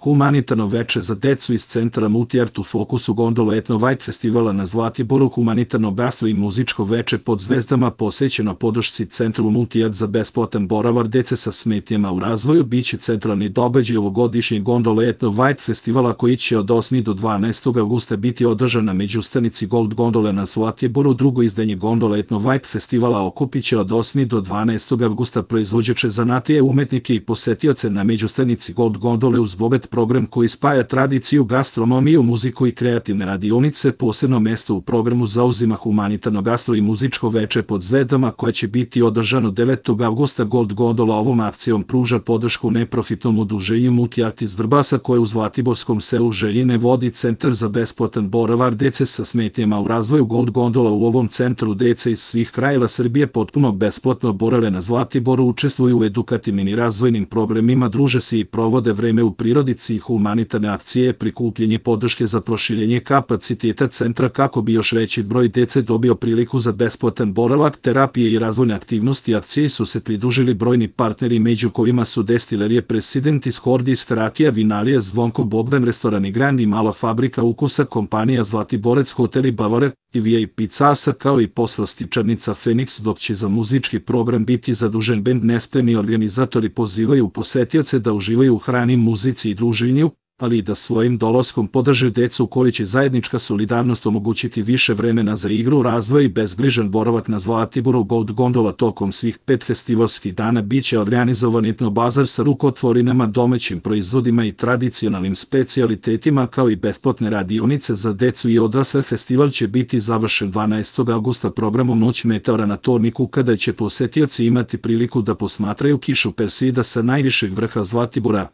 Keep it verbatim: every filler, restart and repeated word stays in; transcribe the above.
Humanitarno veče za decu iz centra Multiart u fokusu gondola Etno White festivala na Zlatiboru. Humanitarno gastro i muzičko veče pod zvezdama posvećeno podršci centru Multiart za besplatan boravak dece sa smetnjama u razvoju biće centralni događaj ovogodišnjeg gondola Etno White festivala koji će od osmog do dvanaestog avgusta biti održan na međustanici Gold Gondole na Zlatiboru. Drugo izdanje gondola Etno White festivala okupit će od osmog do dvanaestog avgusta proizvođače zanatije, umetnike i posetioce na međustanici Gold Gondole uz bogat program koji spaja tradiciju, gastronomiju, muziku i kreativne radionice. Posebno mesto u programu zauzima humanitarno gastro i muzičko veče pod zvezdama koje će biti održano devetog avgusta. Gold Gondola ovom akcijom pruža podršku neprofitnom udruženju Multiart iz Vrbasa koje u zlatiborskom selu Željine vodi centar za besplatan boravak dece sa smetnjama u razvoju. Gold Gondola u ovom centru dece iz svih krajeva Srbije potpuno besplatno borave na Zlatiboru, učestvuju u edukativnim i razvojnim programima, druže se i provode vreme u prirodici i humanitarne akcije, prikupljanje podrške za proširenje kapaciteta centra kako bi još veći broj dece dobio priliku za besplatan boravak, terapije i razvojne aktivnosti. Akcije su se pridružili brojni partneri među kojima su Destilerije Presidentis, Hordis, Rakija, Vinarija, Zvonko Bogdan, restorani Grand i Mala fabrika ukusa, kompanija Zlatiborec, hoteli Bavare i V I P Casa kao i poslastičarnica Feniks, dok će za muzički program biti zadužen bend Nespremni. Organizatori pozivaju posetioce da uživaju u hrani, muzici i druženju, ali i da svojim dolaskom podrže decu koji će zajednička solidarnost omogućiti više vremena za igru, razvoj i bezbrižan boravak na Zlatiboru. Gold Gondola tokom svih pet festivalskih dana biće organizovan etno bazar sa rukotvorinama, domaćim proizvodima i tradicionalnim specijalitetima kao i besplatne radionice za decu i odrasle. Festival će biti završen dvanaestog avgusta programom Noć meteora na Torniku kada će posetioci imati priliku da posmatraju kišu Persida sa najvišeg vrha Zlatibora.